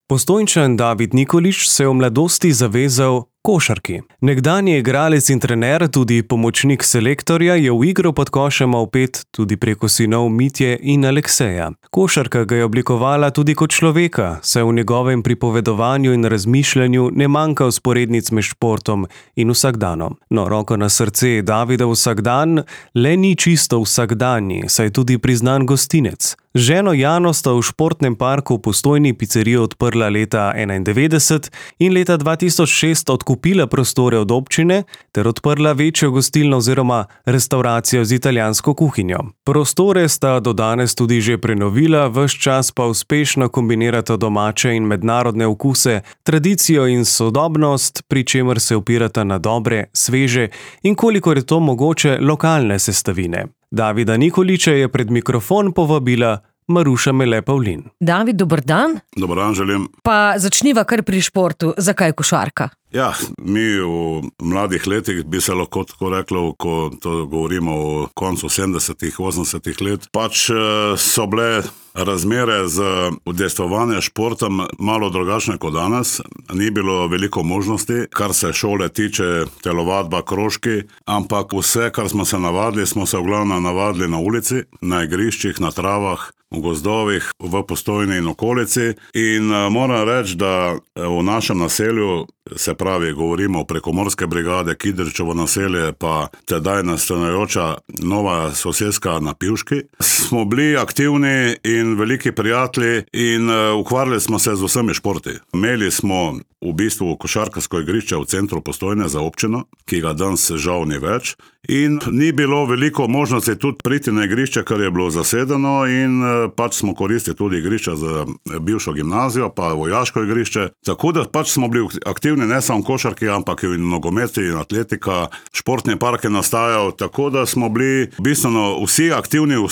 Postojnčan David Nikolić se je v mladosti zavezal košarki. Nekdanji igralec in trener, tudi pomočnik selektorja, je v igro pod košema vpet tudi preko sinov Mitje in Alekseja. Košarka ga je oblikovala tudi kot človeka, saj v njegovem pripovedovanju in razmišljanju ne manjka vzporednic med športom in vsakdanom. No, roko na srce, Davida vsakdan le ni čisto vsakdanji, saj je tudi priznan gostinec. Z ženo Jano sta v športnem parku v Postojni picerijo odprla leta 1991 in leta 2006 odkupila prostore od občine ter odprla večjo gostilno oziroma restauracijo z italijansko kuhinjo. Prostore sta do danes tudi že prenovila, ves čas pa uspešno kombinirata domače in mednarodne okuse, tradicijo in sodobnost, pri čemer se opirata na dobre, sveže in kolikor je to mogoče lokalne sestavine. Davida Nikolića je pred mikrofon povabila Maruša Mele Pavlin. David, dober dan. Dober dan želim. Pa začniva kar pri športu. Zakaj košarka? Ja, mi v mladih letih bi se lahko tako reklo, ko to govorimo o koncu 70-ih, 80-ih let, pač so bile razmere z udejstvovanjem športom malo drugačne kot danes. Ni bilo veliko možnosti, kar se šole tiče, telovadba, krožki, ampak vse, kar smo se navadili, smo se v glavnem navadili na ulici, na igriščih, na travah, v gozdovih, v Postojni in okolici. In moram reči, da v našem naselju, se pravi, govorimo o Prekomorske brigade, Kidričevo naselje, pa tedaj nastajajoča nova soseska na Pivški, smo bili aktivni in veliki prijatelji in ukvarjali smo se z vsemi športi. Imeli smo v bistvu košarkarsko igrišče v centru Postojne za občino, ki ga danes žal ni več, in ni bilo veliko možnosti tudi priti na igrišče, kar je bilo zasedeno, in pač smo koristili tudi igrišče za bivšo gimnazijo, pa vojaško igrišče, tako da pač smo bili aktivni ne samo košarki, ampak in nogometi in atletika, športni park je nastajal, tako da smo bili bistveno vsi aktivni v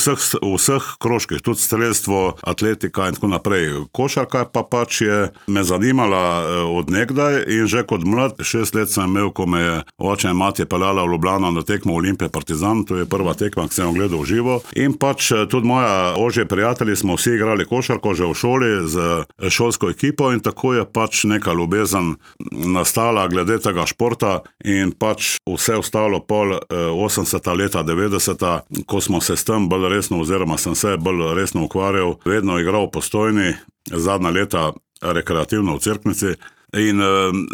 vseh krožkih, tudi strelstvo, atletika in tako naprej. Košarka pa pač je me zanimala od nekdaj in že kot mlad, 6 let sem imel, ko me je oče in mati peljala v Ljubljano na tekmo Olimpije Partizan, to je prva tekma, ki sem jo gledal v živo, in pač tudi moja ožje prijatelji smo vsi igrali košarko že v šoli z šolsko ekipo in tako je pač neka ljubezen nastala glede tega športa in pač vse ostalo pol 80. leta, 90. ko smo se s tem bolj resno, oziroma sem se bolj resno ukvarjal, vedno igral v Postojni, zadnja leta rekreativno v Cerknici. In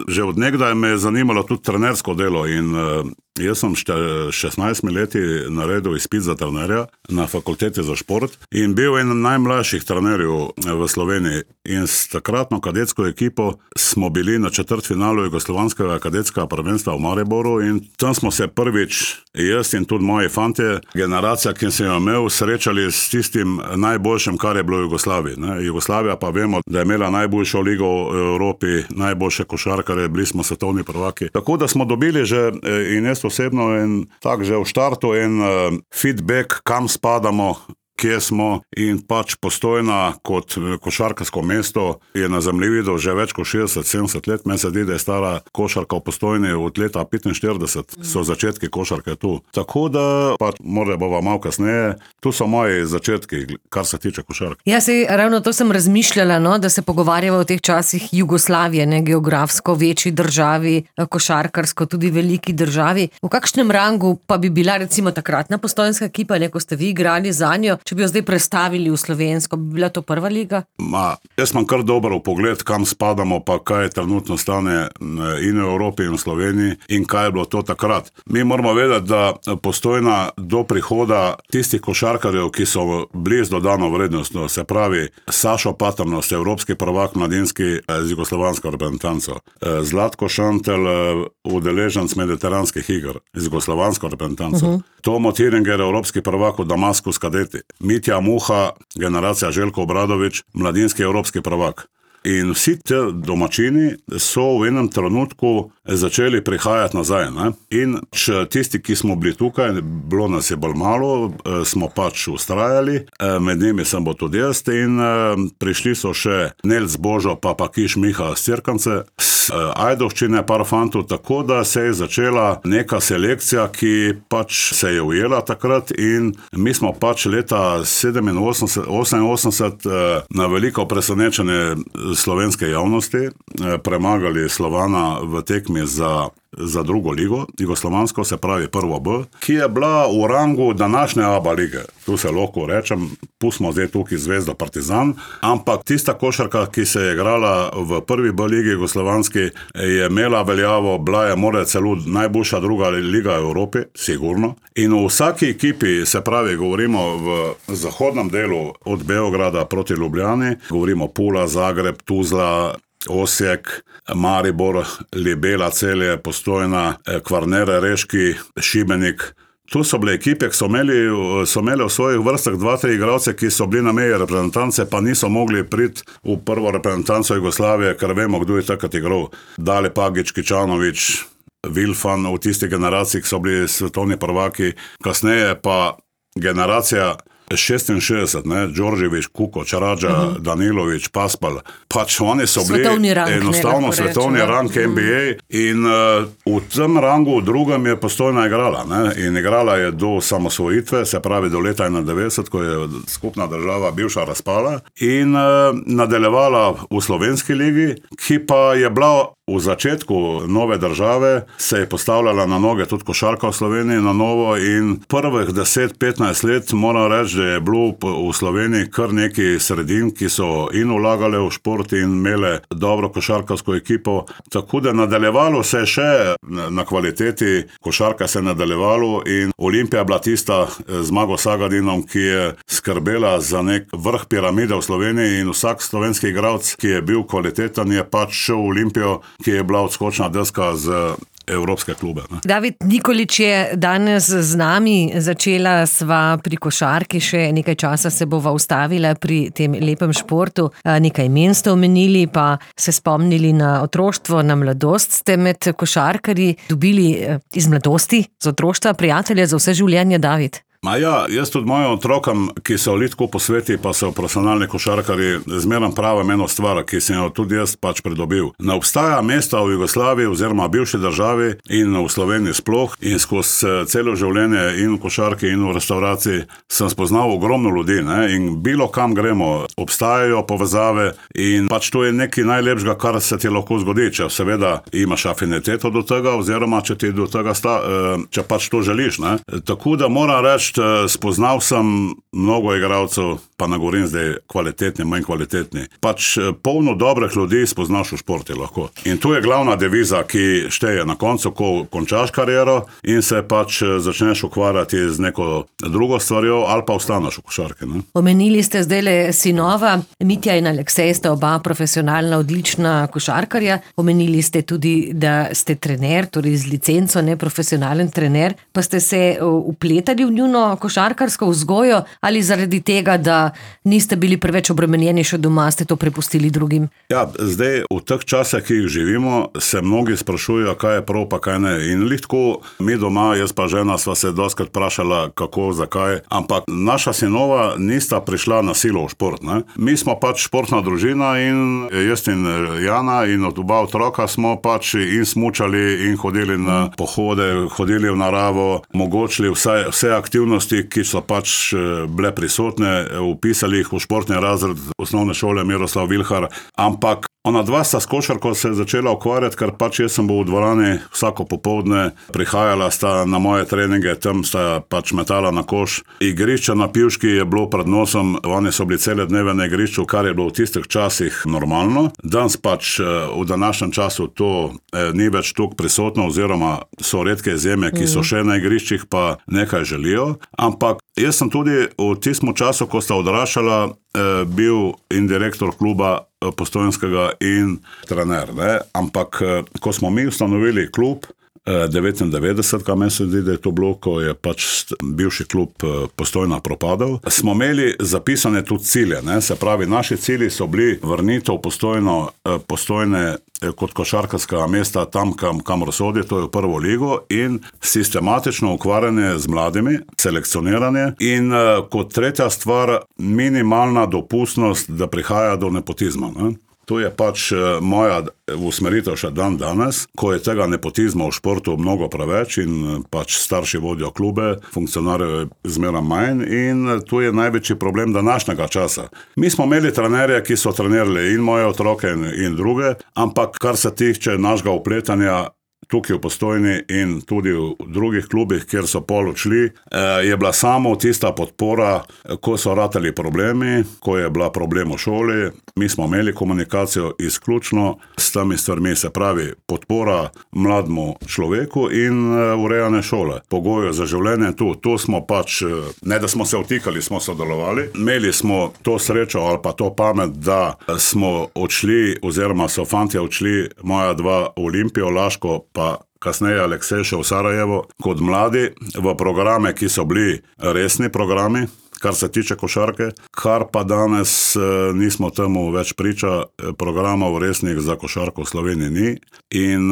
že od nekdaj me je zanimalo tudi trenersko delo in jaz sem 16 leti naredil izpit za trenerja na fakulteti za šport in bil en najmlajših trenerjev v Sloveniji. In s takratno kadetsko ekipo smo bili na četrtfinalu jugoslovanskega kadetskega prvenstva v Mariboru in tam smo se prvič, jaz in tudi moji fantje, generacija, ki sem jo imel, srečali s tistim najboljšim, kar je bilo v Jugoslaviji. Jugoslavija pa vemo, da je imela najboljšo ligo v Evropi, najboljše košarkare, bili smo svetovni prvaki. Tako da smo dobili že, in jaz osebno, in tak že v štartu en feedback, kam spadamo, kje smo, in pač Postojna kot košarkarsko mesto je na zemljevidu že več kot 60-70 let. Meni se zdi, da je stara košarka v Postojni od leta 45, so začetki košarke tu. Tako da pač morda bova malo kasneje, tu so moji začetki, kar se tiče košarke. Ja, ravno to sem razmišljala, no, da se pogovarjava o teh časih Jugoslavije, ne, geografsko večji državi, košarkarsko tudi veliki državi. V kakšnem rangu pa bi bila recimo takratna postojnska ekipa, ne, ko ste vi igrali zanjo, če bi jo zdaj prestavili v slovensko, bi bila to prva liga? Jaz imam kar dober vpogled, kam spadamo, pa kaj trenutno stane in v Evropi in v Sloveniji in kaj je bilo to takrat. Mi moramo vedeti, da Postojna do prihoda tistih košarkarjev, ki so blizu dodano vrednostno, se pravi Sašo Patrnost, evropski prvak mladinski z jugoslovansko reprezentanco, Zlatko Šantel, udeleženec mediteranskih iger z jugoslovansko reprezentanco, Tomo Tiringer, evropski prvak v Damasku s kadeti, Mitja Muha, generacija Željko Obradović, mladinski evropski prvak. In vsi te domačini so v enem trenutku začeli prihajati nazaj. Ne? In tisti, ki smo bili tukaj, bilo nas je bolj malo, smo pač ustrajali, med njimi sem bil tudi jaz in prišli so še Nelc Božo pa Kiš Miha z Cerkance, Ajdovščine, par fantov, tako da se je začela neka selekcija, ki pač se je ujela takrat in mi smo pač leta 87, 88 na veliko presenečenje slovenske javnosti, premagali Slovana v tekmi za drugo ligo, jugoslovansko, se pravi prvo B, ki je bila v rangu današnje ABA lige. Tu se lahko rečem, pustimo zdaj tukaj Zvezdo Partizan, ampak tista košarka, ki se je igrala v prvi B ligi jugoslovanski, je imela veljavo, bila je more celo najboljša druga liga v Evropi, sigurno. In v vsaki ekipi, se pravi, govorimo v zahodnem delu od Beograda proti Ljubljani, govorimo Pula, Zagreb, Tuzla, Osijek, Maribor, Libela, Celje, Postojna, Kvarner, Reški, Šibenik. Tu so bile ekipe, ki so imeli v svojih vrstah 2-3 igralce, ki so bili na meji reprezentance, pa niso mogli priti v prvo reprezentanco Jugoslavije, ker vemo, kdo je takrat igral. Dale Pagić, Kičanović, Vilfan, v tisti generaciji, ki so bili svetovni prvaki. Kasneje pa generacija 66, Đorđević, Kukoč, Radža, Danilović, Paspal, pač oni so bili enostavno svetovni rang NBA in v tem rangu v drugem je Postojna igrala, in igrala je do samosvojitve, se pravi do leta 91, ko je skupna država bivša razpala in nadaljevala v slovenski ligi, ki pa je bila v začetku nove države, se je postavljala na noge tudi košarka v Sloveniji na novo in prvih 10-15 let moram reči, da je bilo v Sloveniji kar nekaj sredin, ki so in vlagale v šport in imele dobro košarkarsko ekipo, tako da nadaljevalo se je še na kvaliteti, košarka se je nadaljevalo in Olimpija bila tista z Zmago Sagadinom, ki je skrbela za nek vrh piramide v Sloveniji in vsak slovenski igralec, ki je bil kvaliteten, je pač šel v Olimpijo, ki je bila odskočna deska z evropske klube. David Nikolić je danes z nami, začela sva pri košarki, še nekaj časa se bova ustavila pri tem lepem športu. Nekaj imen ste omenili, pa se spomnili na otroštvo, na mladost. Ste med košarkarji dobili iz mladosti, z otroštva, prijatelje za vse življenje, David? Jaz tudi mojim otrokom, ki so litko po sveti, pa so profesionalni košarkari, zmeram pravim eno stvar, ki sem jo tudi jaz pač pridobil. Ne obstaja mesta v Jugoslaviji oziroma bivši državi in v Sloveniji sploh in skozi celo življenje in v košarki in v restauraciji sem spoznal ogromno ljudi, in bilo kam gremo, obstajajo povezave in pač to je nekaj najlepšega, kar se ti lahko zgodi, če seveda imaš afiniteto do tega oziroma če ti do tega če pač to želiš. Tako da moram reči, spoznal sem mnogo igralcev, pa ne govorim zdaj kvalitetni, manj kvalitetni. Pač polno dobrih ljudi spoznaš v športi lahko. In tu je glavna deviza, ki šteje na koncu, ko končaš kariero in se pač začneš ukvarjati z neko drugo stvarjo ali pa ostaneš v košarki. Omenili ste zdajle sinova, Mitja in Aleksej sta oba profesionalna, odlična košarkarja. Omenili ste tudi, da ste trener, torej z licenco, ne profesionalen trener, pa ste se vpletali v njuno košarkarsko vzgojo ali zaradi tega, da niste bili preveč obremenjeni še doma, ste to prepustili drugim? Ja, zdaj v teh časih, ki jih živimo, se mnogi sprašujejo, kaj je prav, pa kaj ne. In litko mi doma, jaz pa žena, sva se dostikrat vprašala, kako, zakaj, ampak naša sinova nista prišla na silo v šport. Mi smo pač športna družina in jaz in Jana in od oba otroka smo pač in smučali in hodili na pohode, hodili v naravo, omogočili vse aktivnosti, ki so pač bile prisotne, upisali jih v športni razred osnovne šole Miroslav Vilhar, ampak ona dva sta s košarko se začela ukvarjati, ker pač jaz sem bil v dvorani vsako popoldne, prihajala sta na moje treninge, tam sta pač metala na koš. Igrišče na Pivški je bilo pred nosom, oni so bili cele dneve na igrišču, kar je bilo v tistih časih normalno. Danes pač v današnjem času to ni več toliko prisotno, oziroma so redke izjeme, ki so še na igriščih, pa nekaj želijo. Ampak jaz sem tudi v tistem času, ko sta odraščala, bil in direktor kluba Postojnskega in trener. Ampak ko smo mi ustanovili klub 99, kaj meni se zdi, da je to bilo, ko je pač bivši klub Postojna propadal, smo imeli zapisane tudi cilje. Se pravi, naši cilji so bili vrnitev Postojne kot košarkarskega mesta tam, kamor sodi, to je v prvo ligo, in sistematično ukvarjanje z mladimi, selekcioniranje in kot tretja stvar, minimalna dopustnost, da prihaja do nepotizma. To je pač moja usmeritev še dan danes, ko je tega nepotizma v športu mnogo preveč in pač starši vodijo klube, funkcionarjev je zmeraj manj in to je največji problem današnjega časa. Mi smo imeli trenerje, ki so trenirali in moje otroke in druge, ampak kar se tiče našega vpletanja tukaj v Postojni in tudi v drugih klubih, kjer so pol odšli, je bila samo tista podpora, ko so ratali problemi, ko je bila problem v šoli, mi smo imeli komunikacijo izključno s temi stvarmi, se pravi podpora mlademu človeku in urejanje šole. Pogoje za življenje tu smo pač, ne da smo se vtikali, smo sodelovali. Imeli smo to srečo ali pa to pamet, da smo odšli, oziroma so fantje odšli, moja dva v Olimpijo, Laško, pa kasneje Aleksej še v Sarajevo, kot mladi, v programe, ki so bili resni programi, kar se tiče košarke, kar pa danes nismo temu več priča, programov resnih za košarko v Sloveniji ni in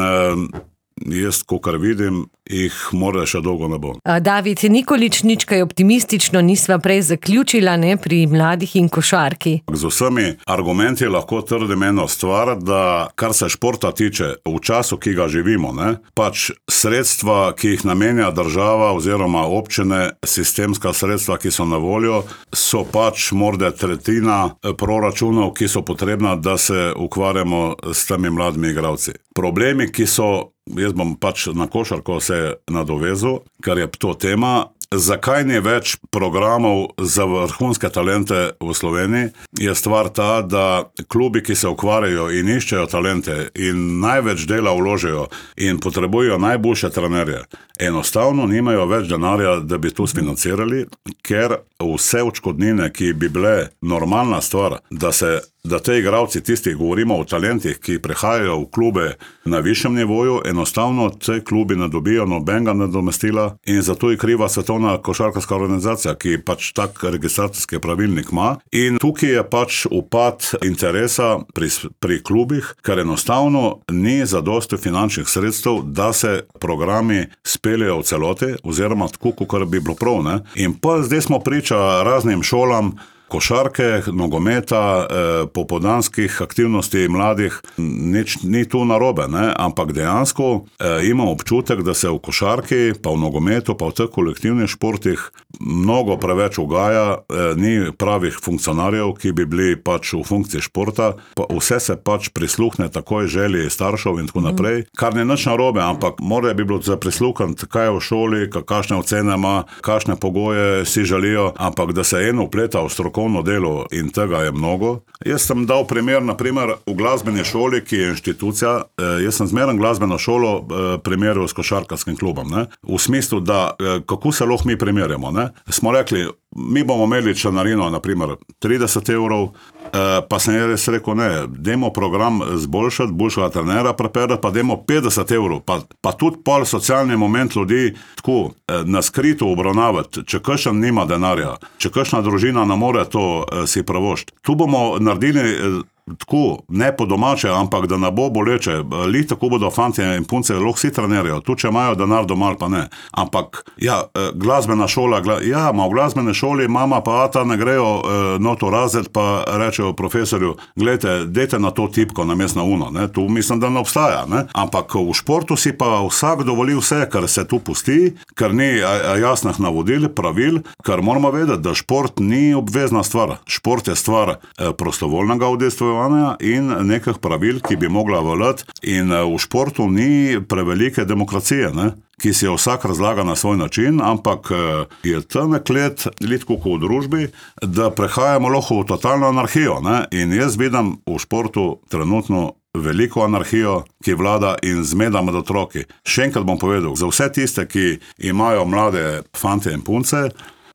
jaz, kakor vidim, jih mora še dolgo ne bo. David Nikolič, nič kaj optimistično nisva prej zaključila, ne, pri mladih in košarki. Z vsemi argumenti lahko trdim eno stvar, da kar se športa tiče, v času, ki ga živimo, ne, pač sredstva, ki jih namenja država oziroma občine, sistemska sredstva, ki so na voljo, so pač morda tretjina proračunov, ki so potrebna, da se ukvarjamo s temi mladimi igralci. Problemi, ki so, jaz bom pač na košarko se nadovezal, ker je to tema, zakaj ni več programov za vrhunske talente v Sloveniji, je stvar ta, da klubi, ki se ukvarjajo in iščejo talente in največ dela vložijo in potrebujejo najboljše trenerje, enostavno nimajo več denarja, da bi to sfinancirali, ker vse odškodnine, ki bi bile normalna stvar, da te igralci, tisti, govorimo o talentih, ki prihajajo v klube na višjem nivoju, enostavno te klubi ne dobijo nobenega nadomestila in zato je kriva Svetovna košarkarska organizacija, ki pač tak registracijski pravilnik ima. In tukaj je pač upad interesa pri klubih, ker enostavno ni zadosti finančnih sredstev, da se programi speljejo v celoti, oziroma tako, kot bi bilo prav, ne? In pa zdaj smo priča raznim šolam, košarke, nogometa, popoldanskih aktivnosti mladih, nič ni tu narobe, ne? Ampak dejansko imam občutek, da se v košarki, pa v nogometu, pa v teh kolektivnih športih mnogo preveč ugaja, ni pravih funkcionarjev, ki bi bili pač v funkciji športa, pa vse se pač prisluhne takoj želji staršev in tako naprej, kar ni nič narobe, ampak mora bi bilo za prisluhniti, kaj je v šoli, kakšne ocene ima, kakšne pogoje si želijo, ampak da se eno vpleta v strokovno delo in tega je mnogo. Jaz sem dal primer, naprimer, v glasbeni šoli, ki je inštitucija, jaz sem zmeren glasbeno šolo primerjal s košarkarskim klubom, ne? V smislu, da kako se lahko mi primerjamo, ne? Smo rekli, mi bomo imeli članarino, naprimer, 30 €, pa sem res rekel, ne, dajmo program zboljšati, boljšega trenera preperati, pa dajmo 50 €, pa tudi pol socialni moment ljudi tako na skrito obravnavati, če kakšen nima denarja, če kakšna družina ne more to si pravošti. Tu bomo naredili tako, ne po domače, ampak da ne bo boleče, li tako bodo fantje in punce lahko si trenerijo, tu če imajo denar doma ali pa ne, ampak ja, glasbena šola, v glasbene šoli mama pa ata ne grejo noto razred, pa rečejo profesorju, gledajte, dajte na to tipko namesto na uno, ne? Tu mislim, da ne obstaja, ne? Ampak v športu si pa vsak dovoli vse, kar se tu pusti, ker ni jasnih navodil, pravil, ker moramo vedeti, da šport ni obvezna stvar, šport je stvar prostovoljnega udejstvovanja in nekih pravil, ki bi mogla veljati, in v športu ni prevelike demokracije, ne? Ki si jo vsak razlaga na svoj način, ampak je tanek let, tako kot v družbi, da prehajamo lahko v totalno anarhijo, ne? In jaz vidim v športu trenutno veliko anarhijo, ki vlada in zmeda med otroki. Še enkrat bom povedal, za vse tiste, ki imajo mlade fante in punce,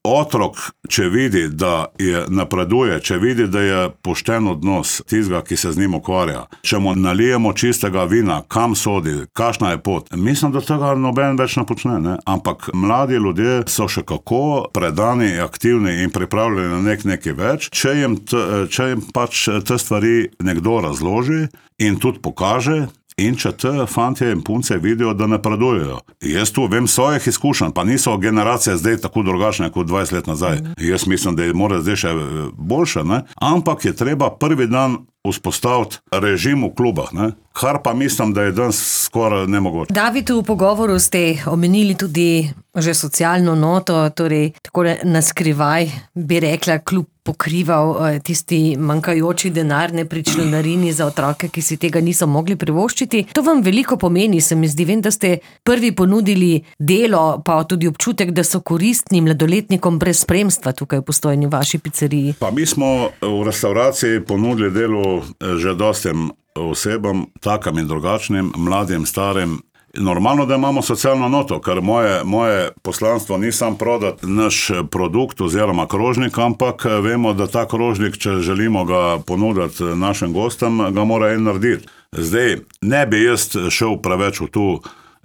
otrok, če vidi, da napreduje, če vidi, da je pošten odnos tistega, ki se z njim ukvarja, če mu nalijemo čistega vina, kam sodi, kakšna je pot, mislim, da tega noben več ne počne, ne? Ampak mladi ljudje so še kako predani, aktivni in pripravljeni na nekaj več, če jim pač te stvari nekdo razloži in tudi pokaže in če te fantje in punce vidijo, da napredujejo. Jaz tu vem svojih izkušenj, pa niso generacije zdaj tako drugačne kot 20 let nazaj. Jaz mislim, da mora zdaj še boljše, ne? Ampak je treba prvi dan vzpostaviti režim v klubah, ne? Kar pa mislim, da je danes skoraj nemogoče. David, v pogovoru ste omenili tudi že socialno noto, torej tako na skrivaj bi rekla, klub pokrival tisti manjkajoči denar pri članarini za otroke, ki si tega niso mogli privoščiti. To vam veliko pomeni, se mi zdi. Vem, da ste prvi ponudili delo, pa tudi občutek, da so koristni mladoletnikom brez spremstva tukaj v Postojni, v vaši pizzeriji. Pa mi smo v restauraciji ponudili delo že dostim osebam, takim in drugačnim, mladim, starim. Normalno, da imamo socialno noto, ker moje poslanstvo ni sam prodati naš produkt oziroma krožnik, ampak vemo, da ta krožnik, če želimo ga ponuditi našim gostom, ga mora en narediti. Zdaj, ne bi jaz šel preveč v to,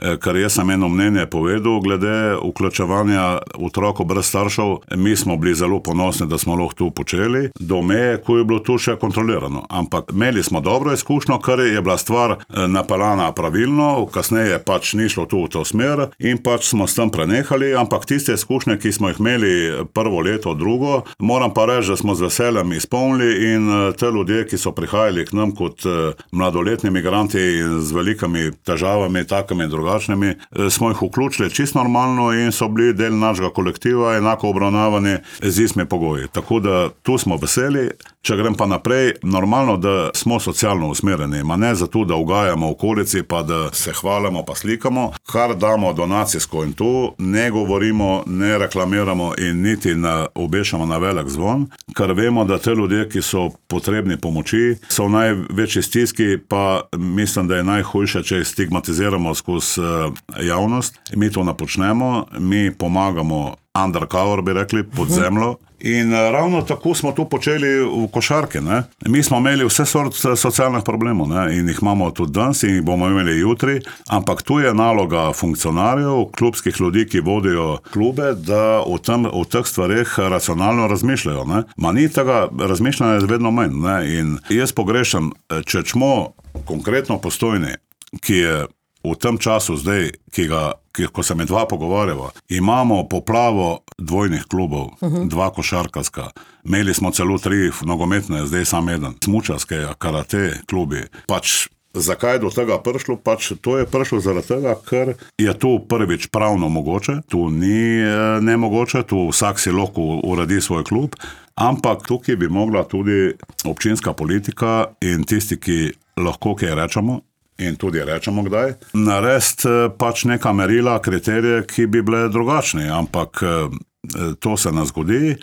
ker jaz sem eno mnenje povedal glede vključevanja otrokov brez staršev. Mi smo bili zelo ponosni, da smo lahko to počeli, do meje, ko je bilo to še kontrolirano. Ampak imeli smo dobro izkušnjo, ker je bila stvar napeljana pravilno, kasneje pač ni šlo to v to smer in pač smo s tem prenehali, ampak tiste izkušnje, ki smo jih imeli prvo leto, drugo, moram pa reči, da smo z veseljem izpolnili in te ljudje, ki so prihajali k nam kot mladoletni migranti z velikimi težavami, takimi in drugačnimi, smo jih vključili čisto normalno in so bili del našega kolektiva, enako obravnavani z istimi pogoji. Tako da tu smo veseli. Če grem pa naprej, normalno, da smo socialno usmerjeni, ma ne zato, da ugajamo okolici, pa da se hvalimo, pa slikamo, kar damo donacijsko in to ne govorimo, ne reklamiramo in niti obešamo na velik zvon, ker vemo, da te ljudje, ki so potrebni pomoči, so v največji stiski, pa mislim, da je najhujše, če jih stigmatiziramo skozi javnost. Mi to ne počnemo, mi pomagamo undercover, bi rekli, pod zemljo. In ravno tako smo to počeli v košarki, ne. Mi smo imeli vse sort socialnih problemov, ne, in jih imamo tudi danes in jih bomo imeli jutri, ampak tu je naloga funkcionarjev, klubskih ljudi, ki vodijo klube, da o teh stvareh racionalno razmišljajo, ne. Ma ni tega razmišljanja vedno manj, ne, in jaz pogrešam, če smo konkretno Postojni, ki je v tem času zdaj, ko se mi dva pogovarjava, imamo poplavo dvojnih klubov, dva košarkarska, imeli smo celo 3 nogometne, zdaj samo eden, smučarske, karate klubi. Pač zakaj je do tega prišlo? Pač to je prišlo zaradi tega, ker je to prvič pravno mogoče, to ni nemogoče, to vsak si lahko uredi svoj klub, ampak tukaj bi mogla tudi občinska politika in tisti, ki lahko kaj rečemo, in tudi rečemo kdaj, narediti pač neka merila, kriterije, ki bi bile drugačni, ampak to se ne zgodi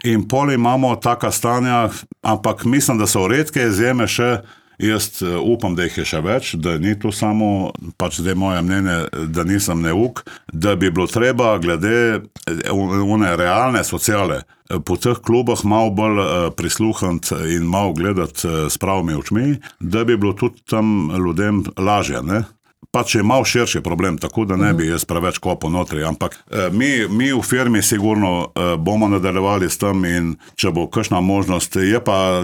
in pol imamo taka stanja, ampak mislim, da so redke izjeme še, jaz upam, da jih je še več, da ni to samo, pač zdaj moje mnenje, da nisem neuk, da bi bilo treba glede one realne sociale po teh klubah malo bolj prisluhniti in malo gledati s pravimi očmi, da bi bilo tudi tam ljudem lažje, ne? Pač je malo širši problem, tako da ne bi jaz preveč kopal notri, ampak mi v firmi sigurno bomo nadaljevali s tem in če bo kakšna možnost, je pa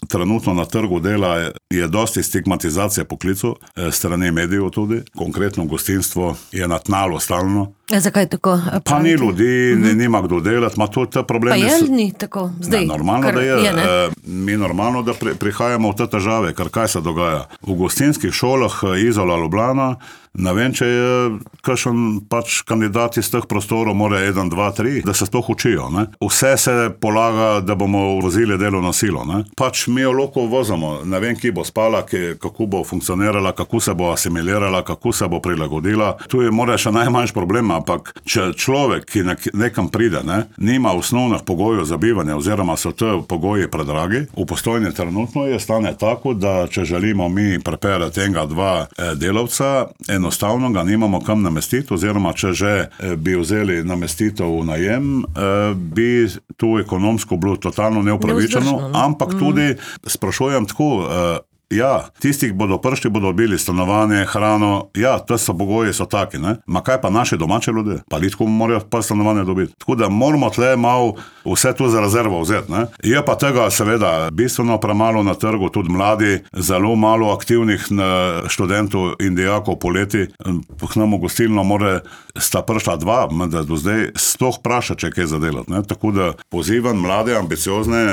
trenutno na trgu dela je dosti stigmatizacije poklicev, strani medijev tudi, konkretno gostinstvo je na tnalu stalno. Zakaj tako? Pa ni ljudi, nima kdo delati, ma to te probleme. Pa je ni tako zdaj? Normalno, da je. Mi normalno, da prihajamo v te težave, ker kaj se dogaja? V gostinskih šolah Izola, Ljubljana, ne vem, če je kakšen pač kandidat iz teh prostorov, mora 1, 2, 3, da se sploh učijo, ne? Vse se polaga, da bomo uvozili delovno silo, ne? Pač mi jo lahko vozimo, ne vem, ki bo spala, kako bo funkcionirala, kako se bo asimilirala, kako se bo prilagodila. Tu je mora še najmanjši problem, ampak če človek, ki nekam pride, ne, nima osnovnih pogojev za bivanje, oziroma so te pogoji predragi, v Postojni trenutno je stane tako, da če želimo mi preperati 1, 2 delavca, enostavno ga nimamo kam namestiti, oziroma če že bi vzeli namestitev v najem, bi tu ekonomsko bilo totalno neupravičeno, ampak tudi sprašujem tako, Ja, tisti, ki bodo prišli, bodo dobili stanovanje, hrano, ja, to so pogoji, so taki, ne. Ma kaj pa naši domači ljudje? Pa litko morajo pa stanovanje dobiti. Tako da moramo tle malo vse to za rezervo vzeti, ne. Je pa tega seveda bistveno premalo na trgu, tudi mladi, zelo malo aktivnih študentov in dijakov poleti. K nam v gostilno sta prišla 2, da do zdaj sploh vpraša, če je kaj zadelati, ne. Tako da pozivam mlade, ambiciozne,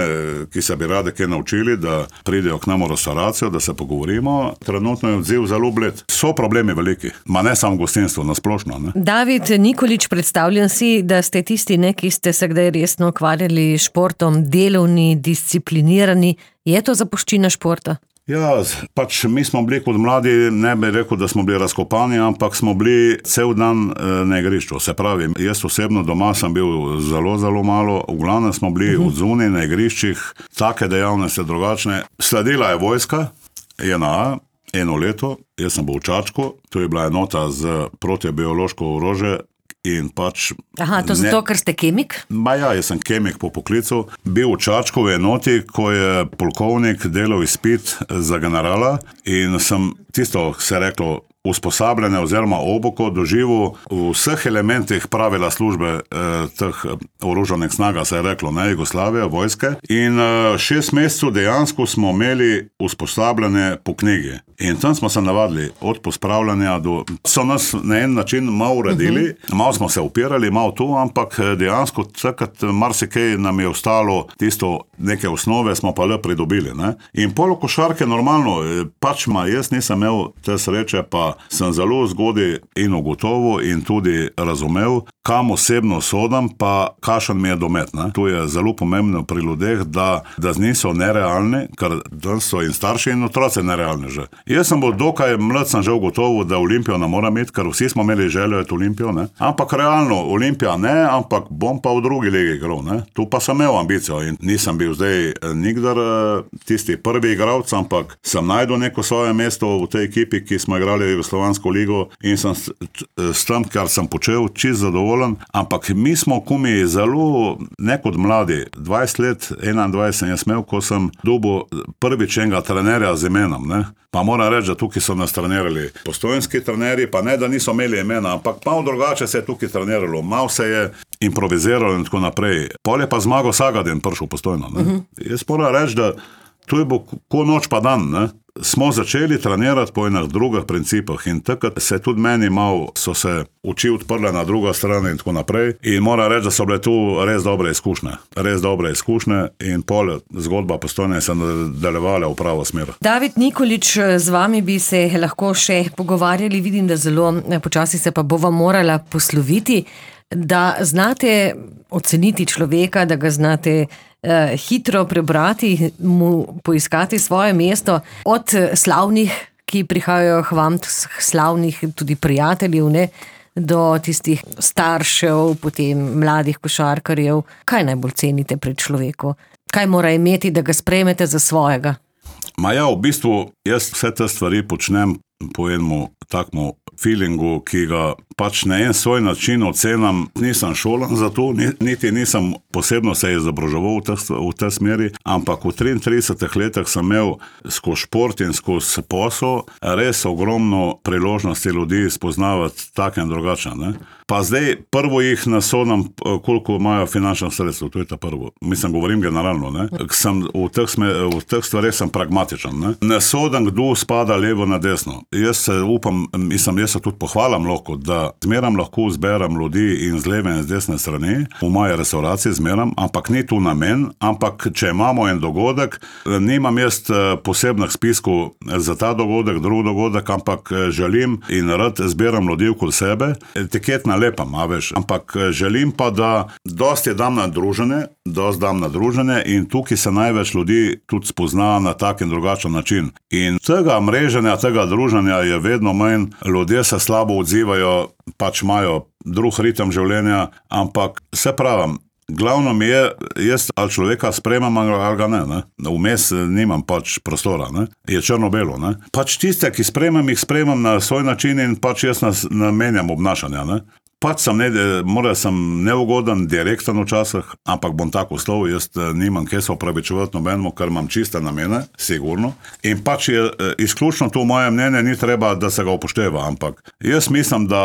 ki se bi rade kaj naučili, da pridejo k nam v restauracijo, da se pogovorimo. Trenutno je odziv zelo bled. So problemi veliki, ma ne samo gostinstvo, nasplošno, ne. David Nikolič, predstavljam si, da ste tisti, ki ste se kdaj resno ukvarjali športom, delovni, disciplinirani. Je to zapuščina športa? Ja, pač mi smo bili kot mladi, ne bi rekel, da smo bili razkopani, ampak smo bili cel dan na igrišču. Se pravi, jaz osebno doma sem bil zelo, zelo malo, v glavnem smo bili odzuni na igriščih, take dejavnosti drugačne. Sledila je vojska, JNA, 1 leto, jaz sem bil v Čačku, to je bila enota z protibiološko orožje. In pač Aha, to zato, ker ste kemik? Ja, jaz sem kemik po poklicu. Bil v Čačkovi enoti, ko je polkovnik delal izpit za generala in sem tisto, se reklo, usposabljanje oziroma oboko doživel v vseh elementih pravila službe teh oroženih snaga, se je reklo, ne, Jugoslavije, vojske. In 6 mesecev dejansko smo imeli usposabljanje po knjigi. In tam smo se navadili, od pospravljanja do... So nas na en način malo uredili, malo smo se upirali, malo tu, ampak dejansko takrat marsikaj nam je ostalo, tisto neke osnove smo pa le pridobili, ne. In polo košarke normalno, pač jaz nisem imel te sreče, pa sem zelo zgodaj in ugotovil in tudi razumel, kam osebno sodam, pa kakšen mi je domet, ne. To je zelo pomembno pri ljudeh, da niso nerealni, ker danes so in starši in otroci nerealni že. Jaz sem bil dokaj mlad, sem že ugotovil, da Olimpijo ne moram imeti, ker vsi smo imeli željo je Olimpijo, ne. Ampak realno, Olimpija ne, ampak bom pa v drugi ligi igral, ne. Tu pa sem imel ambicijo in nisem bil zdaj nikdar tisti prvi igralec, ampak sem najdel neko svoje mesto v tej ekipi, ki smo igrali Jugoslovansko ligo in sem s tem, kar sem počel, čisto zadovoljen. Ampak mi smo kumi zelo, ne kot mladi, 20 let, 21 sem jaz imel, ko sem dobil prvič enega trenerja z imenom, ne. Pa moram reči, da tukaj so nas trenirali postojanski trenerji, pa ne, da niso imeli imena, ampak malo drugače se je tukaj treniralo, malo se je improviziralo in tako naprej. Pol je pa Zmago Sagadin prišel Postojno, ne. Jaz moram reči, da to je bo ko noč pa dan, ne. Smo začeli trenirati po enih drugih principah in takrat se tudi meni malo so se oči odprle na drugo stran in tako naprej. In moram reči, da so bile tu res dobre izkušnje in pol zgodba Postojne se nadaljevala v pravo smer. David Nikolič, z vami bi se lahko še pogovarjali, vidim, da zelo počasi se pa bova morala posloviti, da znate oceniti človeka, da ga znate hitro prebrati, mu poiskati svoje mesto, od slavnih, ki prihajajo k vam, slavnih tudi prijateljev, ne, do tistih staršev, potem mladih košarkarjev. Kaj najbolj cenite pri človeku? Kaj mora imeti, da ga sprejmete za svojega? Ja, v bistvu jaz vse te stvari počnem po enemu takmu feelingu, ki ga pač na en svoj način ocenam. Nisem šolan za to, niti nisem posebno se izobraževal v tej smeri, ampak v 33 letih sem imel skozi šport in skozi posel res ogromno priložnosti ljudi spoznavati take in drugačne, ne. Pa zdaj prvo jih nasodam, koliko imajo finančno sredstvo, to je ta prvo. Mislim, govorim generalno, ne. V teh stvareh sem pragmatičen, ne. Ne sodam, kdo spada levo na desno. Jaz se upam, jaz se tudi pohvalam lahko, da zmeram lahko zberam ljudi in z leve in z desne strani, v moje restauraciji zmeram, ampak ni tu namen, ampak če imamo en dogodek, nimam jaz posebnih spiskov za ta dogodek, drug dogodek, ampak želim in rad zberam ljudi okoli sebe, etiket nalepam, veš, ampak želim pa, da dosti dam na druženje in tukaj se največ ljudi tudi spozna na tak in drugačen način. In tega mreženja, tega druženja je vedno manj, ljudje se slabo odzivajo, pač imajo drug ritem življenja, ampak se pravim, glavno mi je, jaz ali človeka sprejemam ali ga ne. Vmes nimam pač prostora, ne. Je črno-belo, ne. Pač tiste, ki sprejemam, jih sprejemam na svoj način in pač jaz namenjam obnašanja, ne. Pač sem neugoden, direkten včasih, ampak bom tako uslov, jaz nimam kje se opravičevati nobenemu, ker imam čiste namene, sigurno. In pač je izključno to moje mnenje, ni treba, da se ga upošteva, ampak jaz mislim, da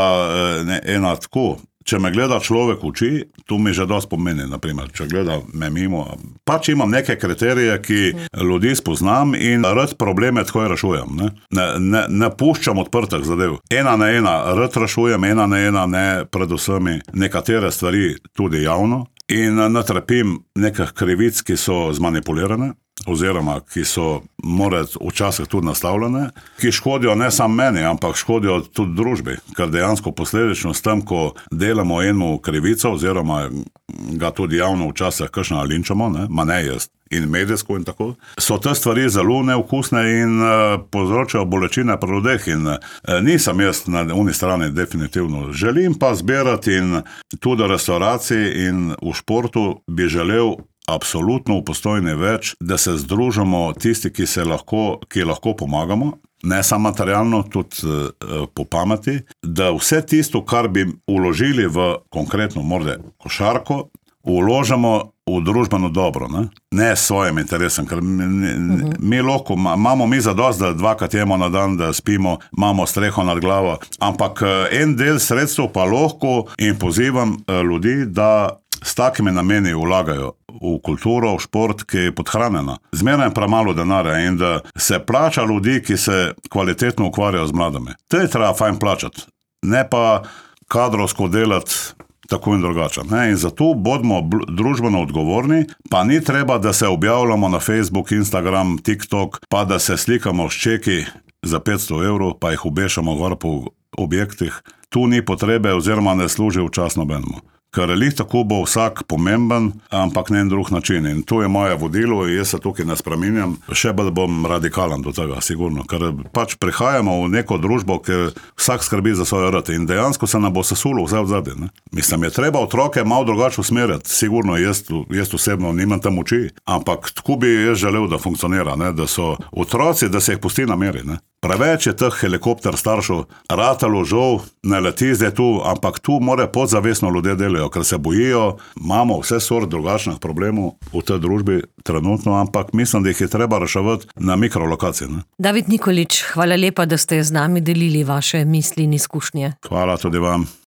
ena tako, če me gleda človek v oči, to mi že dosti pomeni, naprimer, če gleda me mimo. Pač imam neke kriterije, ki ljudi spoznam in rad probleme takoj rešujem. Ne puščam odprtih zadev. Ena na ena rad rešujem, ena na ena ne, predvsem nekatere stvari tudi javno in ne trpim nekih krivic, ki so zmanipulirane, oziroma ki so morat včasih tudi nastavljene, ki škodijo ne samo meni, ampak škodijo tudi družbi, ker dejansko posledično s tem, ko delamo eno krivico, oziroma ga tudi javno včasih kakšno linčamo, ma ne jaz, in medijsko in tako, so te stvari zelo neokusne in povzročajo bolečine pri ljudeh in nisem jaz na uni strani definitivno. Želim pa zbirati in tudi v restauraciji in v športu bi želel absolutno v Postojni več, da se združimo tisti, ki lahko pomagamo, ne samo materialno, tudi po pameti, da vse tisto, kar bi vložili v konkretno morda košarko, vložimo v družbeno dobro, ne s svojim interesom, ker mi lahko, imamo mi zadost, da dvakrat jemo na dan, da spimo, imamo streho nad glavo, ampak en del sredstev pa lahko in pozivam ljudi, da s takimi nameni vlagajo v kulturo, v šport, ki je podhranjena. Zmeraj je premalo denarja in da se plača ljudi, ki se kvalitetno ukvarjajo z mladimi. To je treba fajn plačati, ne pa kadrovsko delati tako in drugače. In zato bodimo družbeno odgovorni, pa ni treba, da se objavljamo na Facebook, Instagram, TikTok, pa da se slikamo s čeki za 500 evrov, pa jih obešamo gor po objektih. Tu ni potrebe oziroma ne služi v čas nobenemu. Ker lih tako bo vsak pomemben, ampak ne en drug način. In to je moje vodilo in jaz se tukaj ne spreminjam. Še bolj bom radikalen do tega, sigurno. Ker pač prihajamo v neko družbo, ker vsak skrbi za svoje rad. In dejansko se nam bo sesulo vse odzadje. Mislim, je treba otroke malo drugače usmerjati. Sigurno jaz osebno nimam tam moči, ampak tako bi jaz želel, da funkcionira. Da so otroci, da se jih pusti na meri. Preveč je teh helikopter staršev, ratalo žal, ne leti zdaj tu, ampak tu more podzavestno ljudje delajo, ker se bojijo, imamo vse sort drugačnih problemov v tej družbi trenutno, ampak mislim, da jih je treba reševati na mikrolokaciji. David Nikolič, hvala lepa, da ste z nami delili vaše misli in izkušnje. Hvala tudi vam.